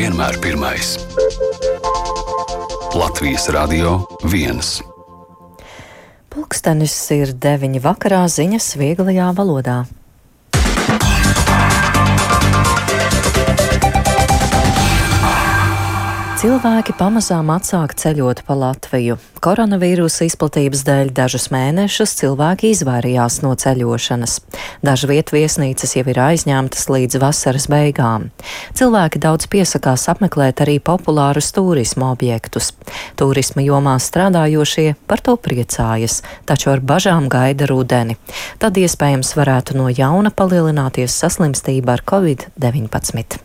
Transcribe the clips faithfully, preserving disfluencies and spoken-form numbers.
vienmēr pirmais. Latvijas Radio viens. Pulkstenis ir deviņi vakarā, ziņas vieglajā valodā. Cilvēki pamazām atsāk ceļot pa Latviju. Koronavīrusa izplatības dēļ dažus mēnešus cilvēki izvairījās no ceļošanas. Dažu vietu viesnīcas jau ir aizņemtas līdz vasaras beigām. Cilvēki daudz piesakās apmeklēt arī populārus turisma objektus. Turisma jomā strādājošie par to priecājas, taču ar bažām gaida rudeni. Tad iespējams varētu no jauna palielināties saslimstība ar covid deviņpadsmit.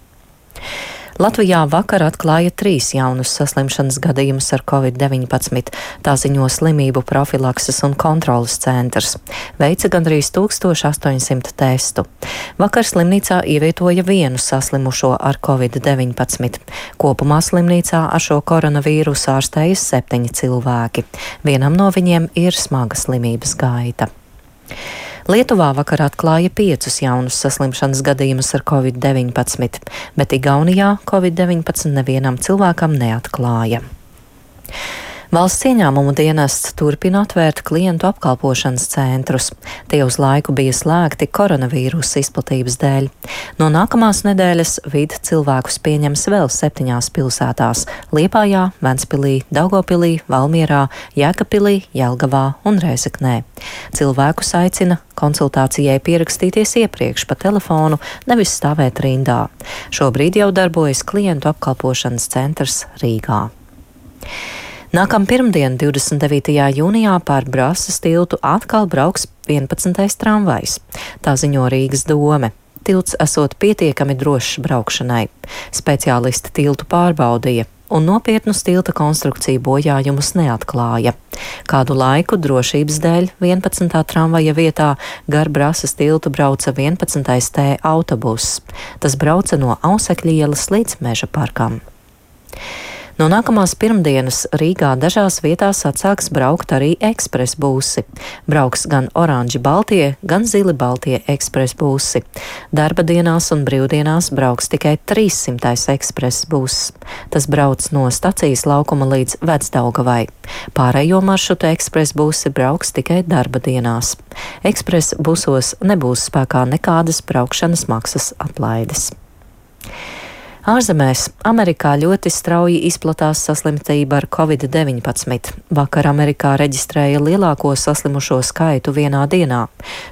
Latvijā vakar atklāja trīs jaunus saslimšanas gadījumus ar covid deviņpadsmit, tā ziņo slimību profilakses un kontrolas centrs. Veica gandrīz tūkstoš astoņsimt testu. Vakar slimnīcā ievietoja vienu saslimušo ar covid deviņpadsmit. Kopumā slimnīcā ar šo koronavīrusu ārstējas septiņi cilvēki. Vienam no viņiem ir smaga slimības gaita. Lietuvā vakar atklāja piecus jaunus saslimšanas gadījumus ar covid deviņpadsmit, bet Igaunijā covid deviņpadsmit nevienam cilvēkam neatklāja. Valsts ieņēmumu dienests turpina atvērt klientu apkalpošanas centrus. Tie uz laiku bija slēgti koronavīrusa izplatības dēļ. No nākamās nedēļas vidi cilvēkus pieņems vēl septiņās pilsētās – Liepājā, Ventspilī, Daugavpilī, Valmierā, Jēkabpilī, Jelgavā un Rēzeknē. Cilvēkus aicina konsultācijai pierakstīties iepriekš pa telefonu, nevis stāvēt rindā. Šobrīd jau darbojas klientu apkalpošanas centrs Rīgā. Nākam pirmdien, divdesmit devītajā jūnijā, pār Brasas tiltu atkal brauks vienpadsmitais tramvajs. Tā ziņo Rīgas dome. Tilts esot pietiekami drošs braukšanai. Speciālisti tiltu pārbaudīja un nopietnus tilta konstrukciju bojājumus neatklāja. Kādu laiku drošības dēļ vienpadsmitā tramvaja vietā gar Brasas tiltu brauca vienpadsmitais T autobuss. Tas brauca no Ausekļa ielas līdz Meža parkam. No nākamās pirmdienas Rīgā dažās vietās atsāks braukt arī ekspres būsi. Brauks gan oranži baltie, gan zili baltie ekspres būsi. Darba dienās un brīvdienās brauks tikai trīssimtais ekspres būs. Tas brauc no stacijas laukuma līdz Vecdaugavai. Pārējo maršrutu ekspres būsi brauks tikai darba dienās. Ekspres būsos nebūs spēkā nekādas braukšanas maksas atlaides. Ārzemēs Amerikā ļoti strauji izplatās saslimtība ar covid deviņpadsmit. Vakar Amerikā reģistrēja lielāko saslimušo skaitu vienā dienā,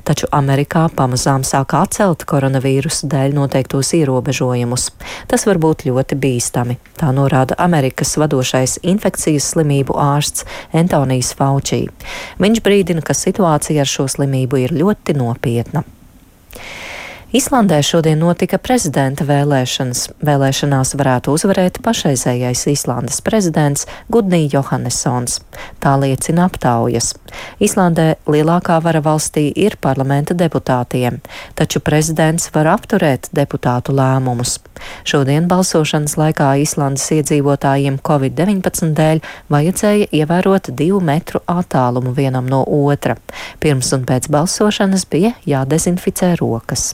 taču Amerikā pamazām sāk atcelt koronavīrusu dēļ noteiktos ierobežojumus. Tas var būt ļoti bīstami, tā norāda Amerikas vadošais infekcijas slimību ārsts Antonijs Fauci. Viņš brīdina, ka situācija ar šo slimību ir ļoti nopietna. Islandē šodien notika prezidenta vēlēšanas. Vēlēšanās varētu uzvarēt pašreizējais Islandes prezidents Gudni Johannessons. Tā liecina aptaujas. Islandē lielākā vara valstī ir parlamenta deputātiem, taču prezidents var apturēt deputātu lēmumus. Šodien balsošanas laikā Islandes iedzīvotājiem covid deviņpadsmit dēļ vajadzēja ievērot divu metru attālumu vienam no otra. Pirms un pēc balsošanas bija jādezinficē rokas.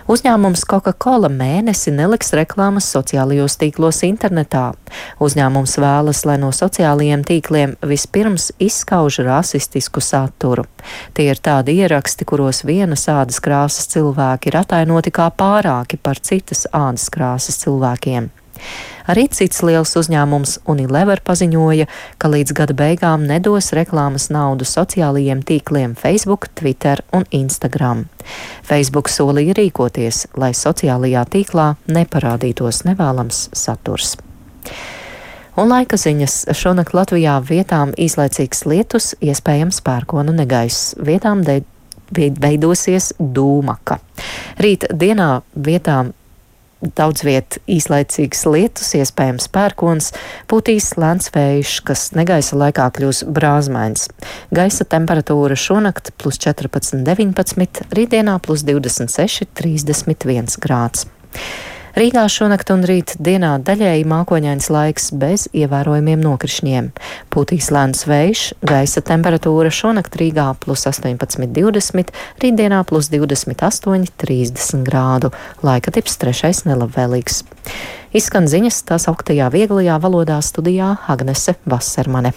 Uzņēmums Coca-Cola mēnesi neliks reklāmas sociālajos tīklos internetā. Uzņēmums vēlas, lai no sociālajiem tīkliem vispirms izskauž rasistisku saturu. Tie ir tādi ieraksti, kuros vienas ādas krāsas cilvēki ir atainoti kā pārāki par citas ādas krāsas cilvēkiem. Arī cits liels uzņēmums Unilever paziņoja, ka līdz gada beigām nedos reklāmas naudu sociālajiem tīkliem Facebook, Twitter un Instagram. Facebook solīja rīkoties, lai sociālajā tīklā neparādītos nevēlams saturs. Un laika ziņas. Šonakt Latvijā vietām īslaicīgs lietus, iespējams pērkona negaiss. Vietām de- veidosies dūmaka. Rīt dienā vietām daudz viet īslaicīgs lietus, iespējams pērkons, pūtīs lēns vējš, kas negaisa laikā kļūs brāzmains. Gaisa temperatūra šonakt plus četrpadsmit deviņpadsmit, rītdienā plus divdesmit seši trīsdesmit viens grāds. Rīgā šonakt un rīt dienā daļēji mākoņains laiks bez ievērojumiem nokrišņiem. Pūtīs lēns vējš, gaisa temperatūra šonakt Rīgā plus astoņpadsmit divdesmit, rītdienā plus divdesmit astoņi trīsdesmit grādu. Laika tips trešais nelabvēlīgs. Izskan ziņas tās augtajā vieglajā valodā studijā Agnese Vasermane.